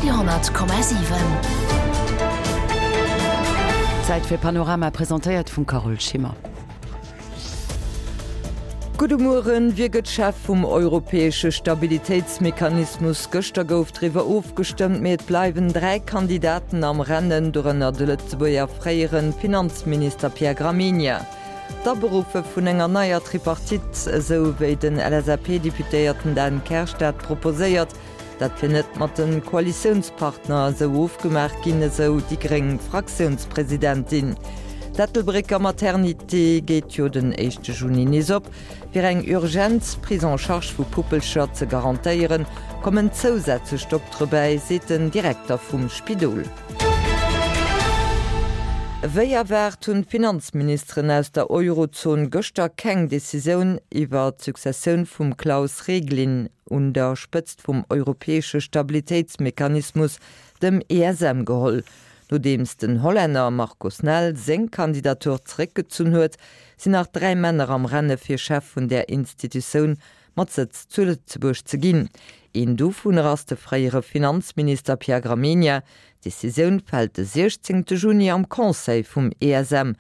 Radio,7. Zäit fir Panorama, presentéiert vum Carole Schimmer. Gudde Mueren. Wie gëtt Chef vum europäesche Stabilitéitsmechanismus? Gëschter gouf driwwer ofgestëmmt, mee et bleiwen 3 Kandidaten am Rennen, dorënner de Lëtzebuerger fréiere Finanzminister Pierre Gramegna. D'Aberuffe vun enger neier Tripartite, esou wéi den LSAP-Deputéierten Dan Kersch dat proposéiert, dat wier net mat de Koalitiounspartner esou ofgemaach ginn, esou déi gréng Fraktiounspresidentin. D'Ettelbrécker Maternité geet jo den éischte Juni nees op. Fir eng urgent Prise en charge vu Puppelcher ze garantéieren, kommen zousätzlech Doktere bäi, seet den Direkter vum Spidol. Wéi erwaart hunn d'Finanzministeren aus der Eurozon gëschter keng Decisioun iwwer d'Successioun vum Klaus Regling un der Spëtzt vum europäesche Stabilitéitsmechanismus, dem ESM, geholl. Nodeems den Hollänner Marco Snel seng Kandidatur zeréckgezunn huet, sinn nach 3 Männer am Renne fir Chef vun där Institutioun mat Sëtz zu Lëtzebuerg ze ginn. Een dovunner ass de fréiere Finanzminister Pierre Gramegna. D'Decisioun fält de 16 Juni am Conseil vum ESM.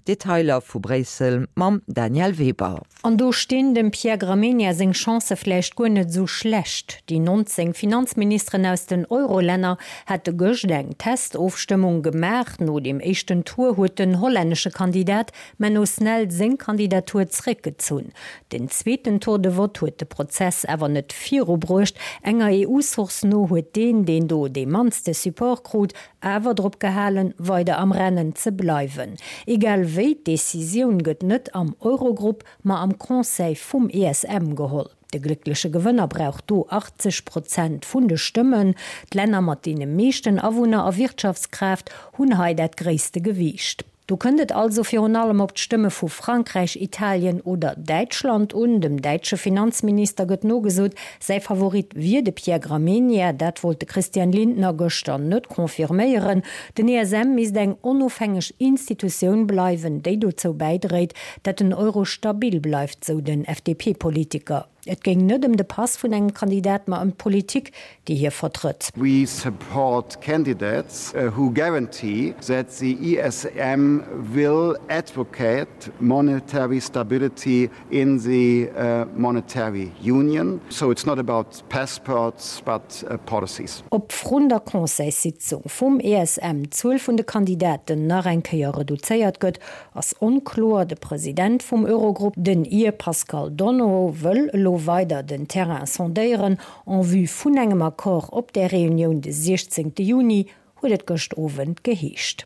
Detailer vu Bréissel mam Danièle Weber. An do stinn dem Pierre Gramegna seng Chancë vläicht guer net esou schlecht. Déi 19 Finanzministeren aus den Euro-Länner hate gëscht eng Testofstëmmung gemaach. No dem éischten Tour huet den hollännesche Kandidat Menno Snel seng Kandidatur zréckgezunn. Den zweeten Tour de vote huet de Prozess awer net virubruecht. Enger EU-Source no huet deen, deen do dee mannste Support krut, awer drop gehalen, weider am Rennen ze bleiwen. Egal wéi, d'Decisioun gëtt net am Eurogrupp, ma am Conseil vum ESM geholl. De gléckleche Gewënner brauch do 80 Prozent vun de Stëmmen. D'Länner mat deene meeschten Awunner a Wirtschaftskraaft hunn hei dat gréisste Gewiicht. Do kënnt et also virun allem op d'Stëmme vu Frankräich, Italien oder Däitschland un. Dem däitsche Finanzminister gëtt nogesot, säi Favorit wier de Pierre Gramegna. Dat wollt de Christian Lindner gëschter net confirméieren. Den ESM misst eng onofhängeg Institutioun bleiwen, déi dozou bäidréit, dat den Euro stabil bleift, sou den FDP-Politiker. Et géing net ëm de Pass vun engem Kandidat, ma ëm d'Politik, déi hie vertrëtt. We support candidates who guarantee that the ESM will advocate monetary stability in the monetary union. So it's not about passports, but policies. Ob vrun der Conseilssitzung vum ESM d'Zuel vun de Kandidaten nach eng Kéier reduzéiert gëtt, ass onkloer. De President vum Eurogrupp, den Ir Paschal Donohoe, wëll elo weider den Terrain sondéieren en vue vun engem Accord op där Reunioun de 16 Juni, huet et gëscht Owend geheescht.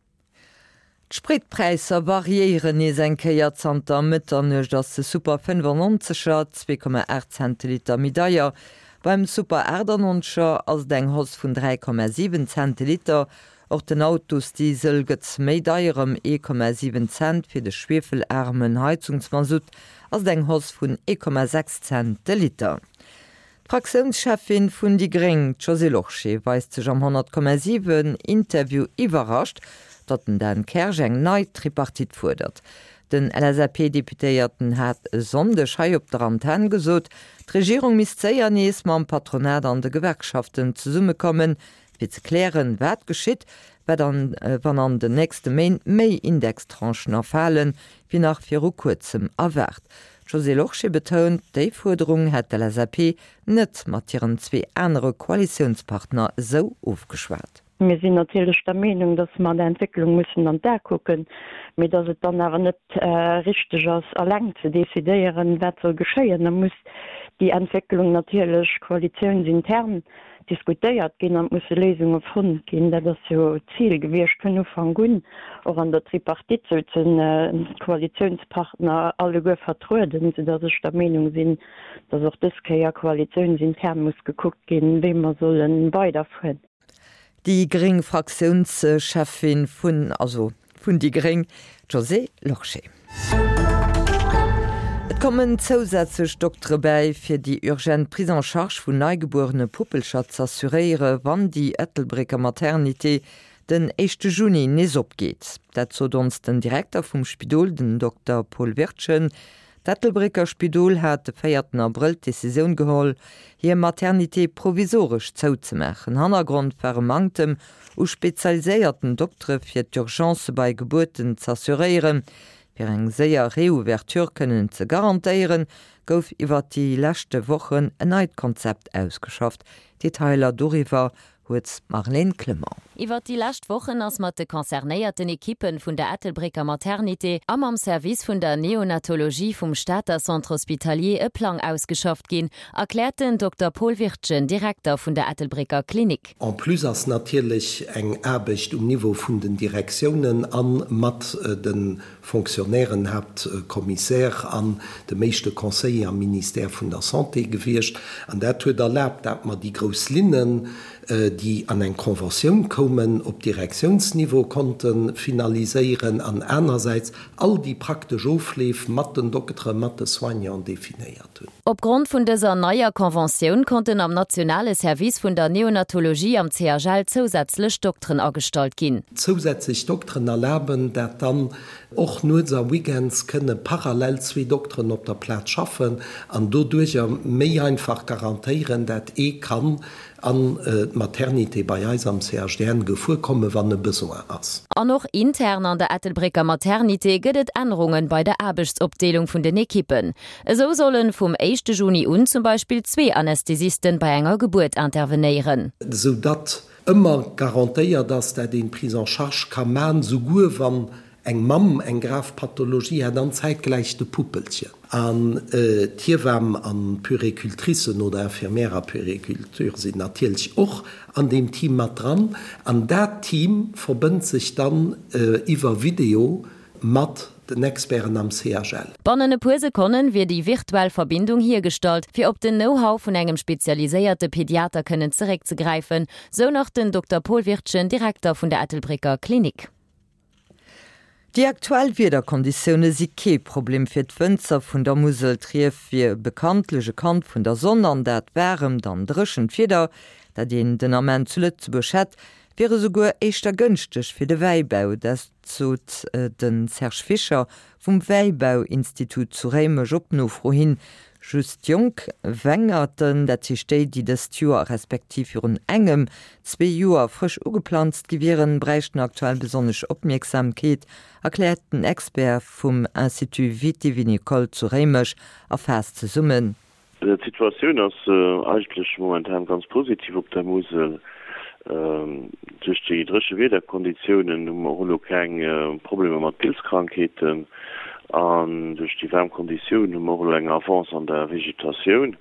D'Spritpräisser variéieren nees eng Kéier. Zanter Mëtternuecht ass de Super 95 er 2,8 Cent de Liter méi deier. Beim Super 98 er ass et eng Hausse vun 3,7 Cent de Liter. Och den Autosdiesel gëtt méi deier, ëm 1,7 Cent. Fir de schwiefelaarmen Heizungsmasutt ass et eng Hausse vun 1,6 Cent de Liter. D'Fraktiounscheffin vun déi gréng, d'Josée Lorsché, weist sech am 100,7 Interview iwwerrascht, datt den Dan Kersch eng nei Tripartite fuerdert. Den LSAP-Deputéierten hat e Sonndeg hei op der Antenn gesot, d'Regierung misst séier nees mam Patronat an de Gewerkschaften zesummekommen, Fir ze klären, wat geschitt, wat an wann an den nächste Méint méi Indextranchen erfalen, wéi nach viru kuerzem erwaart. D'Josée Lorsché betount, déi Fuerderung hätt d'LSAP net mat hiren zwee anere Koalitiounspartner esou ofgeschwat. Mir sinn natierlech der Meenung, dass mer der Entwécklung mussen an d'A kucken, mee dass et dann awer net richteg ass, eleng ze decidéieren, wat soll geschéien. Da muss déi Entwécklung natierlech koalitiounsintern diskutéiert ginn an et musse Léisunge fonnt ginn. Dat ass jo d'Zil gewiescht vun Ufank un. Och an der Tripartite souzen d'Koalitiounspartner alleguer vertrueden, soudass ech der Meenung sinn, dass och dës Kéier koalitiounsintern muss gekuckt ginn, wéi mer solle weiderfueren. Déi gréng Fraktiounscheffin vun, also vun déi gréng, d'Josée Lorsché. Et kommen zousätzlech Doktere bäi, fir déi urgent Prise en charge vun neigebuerene Puppelcher z'assuréiere wann déi Ettelbrécker Maternité den éischte Juni nees opgeet. Dat sot ons den Direkter vum Spidol, den Dokter Paul Wirtgen. D'Ettelbrécker Spidol hat de véierten Abrëll d'Decisioun geholl, hir Maternité provisoresch zouzemaachen. Hannergrond war e Manktem u spezialiséierten Doktere fir d'Urgencë bei Gebuerten z'assuréieren. Fir eng séier Reouverture kënnen ze garantéieren, gouf iwwert déi leschte Wochen en neit Konzept ausgeschafft. Detailer doriwwer huet d'Marlène Clement. Iwwert déi lescht Wochen ass mat de concernéierten Ekippen vun der Ettelbrécker Maternité a mam Service vun der Neonatologie vum Stater Centre Hospitalier e Plang ausgeschafft ginn, erkläert den Dokter Paul Wirtgen, Direkter vun der Ettelbrécker Klinik. En plus ass natierlech eng Aarbecht um Niveau vun den Direktiounen a mat de Fonctionnairen, Haaptcommissaire an dem éischte Conseiller am Ministère vun der Santé gewiescht. An dat huet erlaabt, dat mer déi grouss Linnen, déi an eng Conventioun koumen, op Direktiounsniveau konnte finaliséieren an anersäits all déi praktesch Ofleef mat den Dokteren, mat de Soignanten definéiert hunn. Opgrond vun dëser neier Conventioun konnten am nationale Service vun der Neonatologie am CHL zousätzlech Dokteren agestallt ginn. Zousätzlech Dokteren erlaben, dat dann och nuets a weekends kënne parallel zwee Dokteren op der Plaz schaffen an doduercher méi einfach garantéieren, dat ee kann an d'Maternité bei eis am CHDN gefuer kommen, wann e Besoin ass. An och intern an der Ettelbrécker Maternité gëtt et Ännerungen bei der Aarbechtsopdeelung vun den Ekippen. Esou sollen vum éischte Juni un zum Beispill zwee Anästhesisten bei enger Gebuert intervenéieren. Esou datt ëmmer garantéiert ass, dat een d'Prise en charge ka man, souguer wann Eng Mamm eng grav Pathologie hat an zäitgläich de Puppelchen. An d'Hiewamm an d'Puéricultricen oder Infirmière a Puériculture sinn natierlech och an deem Team mat dran. An dat Team verbënnt sech dann iwwer Video mat den Experten am CHL. Bannen e puer Sekonnen wier déi virtuell Verbindung hiergestallt, fir op den Know-how vun engem spezialiséierte Pediater kënnen zeréckzegräifen, sou nach den Dokter Paul Wirtgen, Direkter vun der Ettelbrécker Klinik. Déi aktuell Wiederkonditioune si kee Problem fir d'Wënzer vun der Musel. D'Rief wier bekanntlech e Kand vun der Sonn an dat waaremt an dréchent Wieder, dat een den Ament zu Lëtzebuerg hätt, wier esouguer éischter gënschteg fir de Wäibau. Dat sot de Serge Fischer vum Wäibauinstitut zu Réimech op Nofro hin. Just jonk Wengerten, dat heescht déi, déi dëst Joer respektiv virun engem, zwee Joer frësch ugeplanzt gi wieren, bräichten aktuell besonnesch Opmierksamkeet, erkläert den Expert vum Institut viti-vinicole zu Réimech a faasst zesummen, D'Situatioun ass eigentlech momentan ganz positiv op der Musel. Duerch déi dréche Wiederkonditiounen hu mer och elo keng Problemer mat Pilzkrankheeten an duerch déi waarm Konditiounen hu mer och elo eng Avance an der Vegetatioun.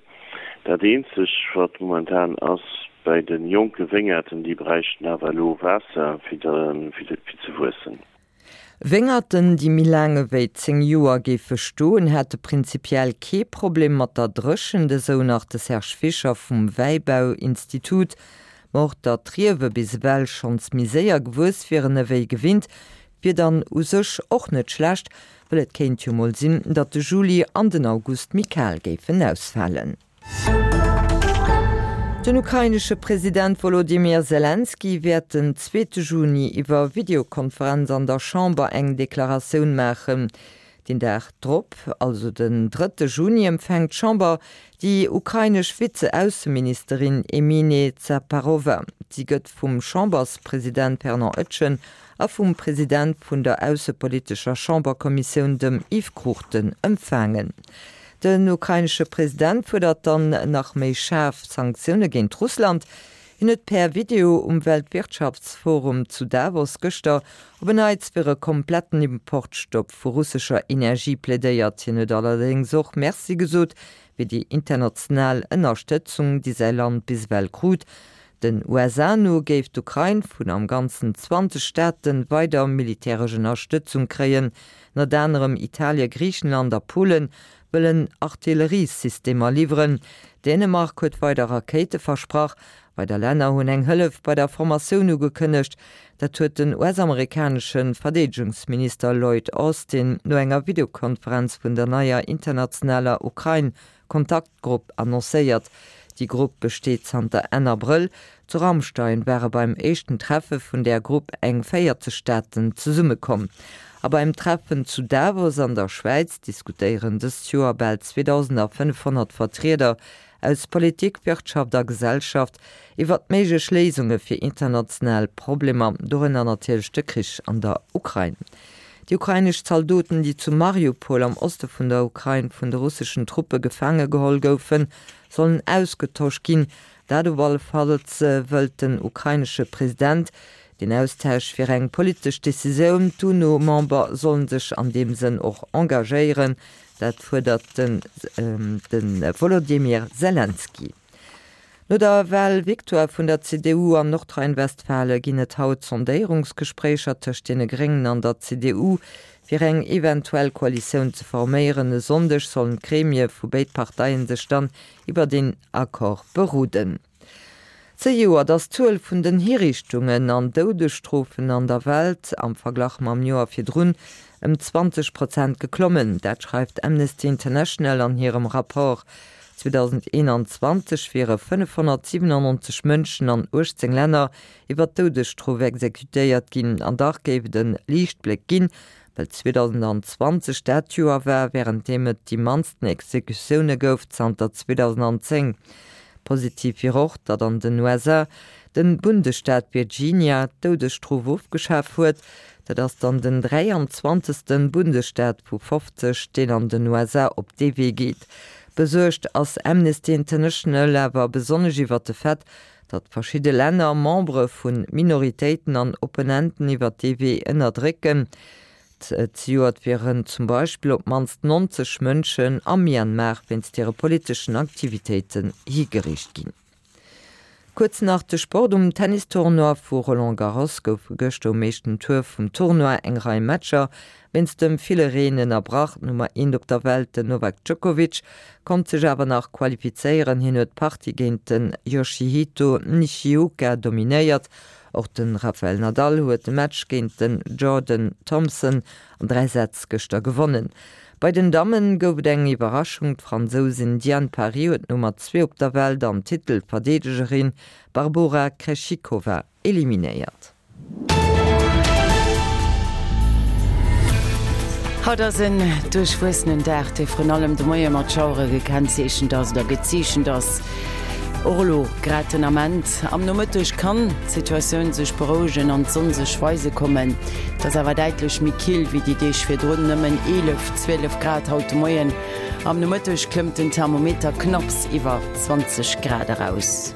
Dat eenzeg wat momentan ass, bei de jonke Wéngerten, déi bräichten awer elo Waasser fir ze wuessen. Wéngerten, déi méi laang ewéi 10 Joer géife stoen, hätte prinzipiell kee Problem mat der Dréchent, esou nach de Serge Fischer vum Wäibauinstitut. Ma och datt d'Riewe bis ewell schonns méi séier gewuess wieren ewéi gewinnt, wier dann u sech och net schlecht, well et kéint jo mol sinn, datt de Juli an den August méi kal géifen ausfalen. Den ukrainesche President Wolodymyr Selenskyj wäert den zweete Juni iwwer Videokonferenz an der Chamber eng Deklaratioun maachen. Den Dag drop, also den drëtte Juni, empfänkt d'Chamber déi ukrainesch Vize-Ausseministerin Emine Dzhaparova. Si gëtt vum Chamberspresident Fernand Etgen a vum President vun der aussepolitescher Chamberkommissioun, dem Yves Cruchten, empfaangen. Den ukrainesche President fuerdert dann nach méi schaarf Sanktioune géint Russland. Hien huet per Video um Weltwirtschaftsforum zu Davos gëschter op en Neits fir e kompletten Importstopp vu russescher Energie plädéiert. Hien huet allerdéngs och Merci gesot fir déi international Ënnerstëtzung, déi säi Land bis ewell krut. Den USA no géif d'Ukrain vun am Ganzen 20 Staate weider militäresch Ënnerstëtzung kréien. Ënnert anerem Italie, Griichenland a Polen wëllen Artilleriesystemer liwweren. Dänemark huet weider Rakéite versprach. Weider Länner hunn eng Hëllef bei der Formatioun ugekënnegt. Dat huet den US-amerikanesche Verdeedegungsminister Lloyd Austin no enger Videokonferenz vun der neier internationaler Ukrain-Kontaktgrupp annoncéiert. Déi Grupp besteet zanter Enn Abrëll. Zu Ramstein ware beim éischten Treffe vun där Grupp eng 40 Staaten zesummekomm. A beim Treffen zu Davos an der Schwäiz diskutéieren dëst Joer bal 2.500 Vertrieder aus Politik, Wirtschaft a Gesellschaft iwwert méiglech Léisunge fir international Problemer, dorënner natierlech de Krich an der Ukrain. Déi ukrainesch Zaldoten, déi zu Mariupol am Oste vun der Ukrain vun de russeschen Truppe gefaange geholl goufen, sollen ausgetosch ginn. Dat op alle Falls wëllt den ukrainesche President. Deen Austausch wier eng politesch Decisioun. D'UNO-Member sollen sech an deem Sënn och engagéieren. Dat fuerdert de Wolodymyr Selenskyj. No der Walvictoire vun der CDU an Nordrhein-Westfale ginn et haut Sondéierungsgespréicher tëscht deene Gréngen an der CDU, fir eng eventuell Koalitioun ze forméieren. E Sonndeg sollen d'Gremie vu béid Parteien sech dann iwwer een Accord beroden. Zejoert ass d'Zuel vun den Hiriichtungen an Doudesstrofen an der Welt am Verglach mam Joer virdrun ëm 20 Prozent geklommen. Dat schreift Amnesty International an hirem Rapport. 2021 wiere 597 Mënschen an 18 Länner iwwer d'Doudesstrof exekutéiert ginn. An dach géif et e Liichtbléck ginn, well 2020 dat Joer war, wärend deem et déi mannsten Exekutioune gouf zanter 2010. Positiv wier och, datt an den USA de Bundesstaat Virginia d'Doudesstrof ofgeschaf huet. Dat ass dann den 23. Bundesstaat vu 50, deen an den USA op dee Wee geet. Besuergt ass Amnesty International awer besonnesch iwwer de Fait, datt verschidde Länner Membere vu Minoritéiten an Opponenten iwwer dee Wee ënnerdrécken. Zejoert wieren zum Beispill op d'mannst 90 Mënschen am Myanmar wéinst hire politeschen Aktivitéiten higeriicht ginn. Kuerz nach de Sport, Um Tennistournoi vu Roland Garros goufe gëschter um éischten Tour vum Tournoi eng Rei Matcher wéinst dem ville Reen ënnerbrach. D'Nummer eent op der Welt, den Novak Djokovic, konnt sech awer nach qualifizéieren. Hien huet d'Partie géint den Yoshihito Nishioka dominéiert Och de Rafael Nadal huet de Match géint den Jordan Thompson an 3 Sätz gëschter gewonnen. Bei den Dammen gouf et eng Iwwerraschung, D'Fransousin Diane Paris huet d'Nummer 2 op der Welt an Titelverdeedegerin Barbora Krejcikova eliminéiert. Haut ass en duerchwuessenen Dag, dee vrun allem de Moie mat Schauere gekennzeechent ass oder gezeechent ass. Och elo grad den Ament am Nomëtteg kann d'Situatioun sech berouegen an d'Sonn sech weise kommen. Et ass awer däitlech méi kill wéi déi Deeg virdrun, nëmmen 11, 12 Grad haut de Moien. Am Nomëtteg klëmmt den Thermometer knapps iwwer 20 Grad eraus.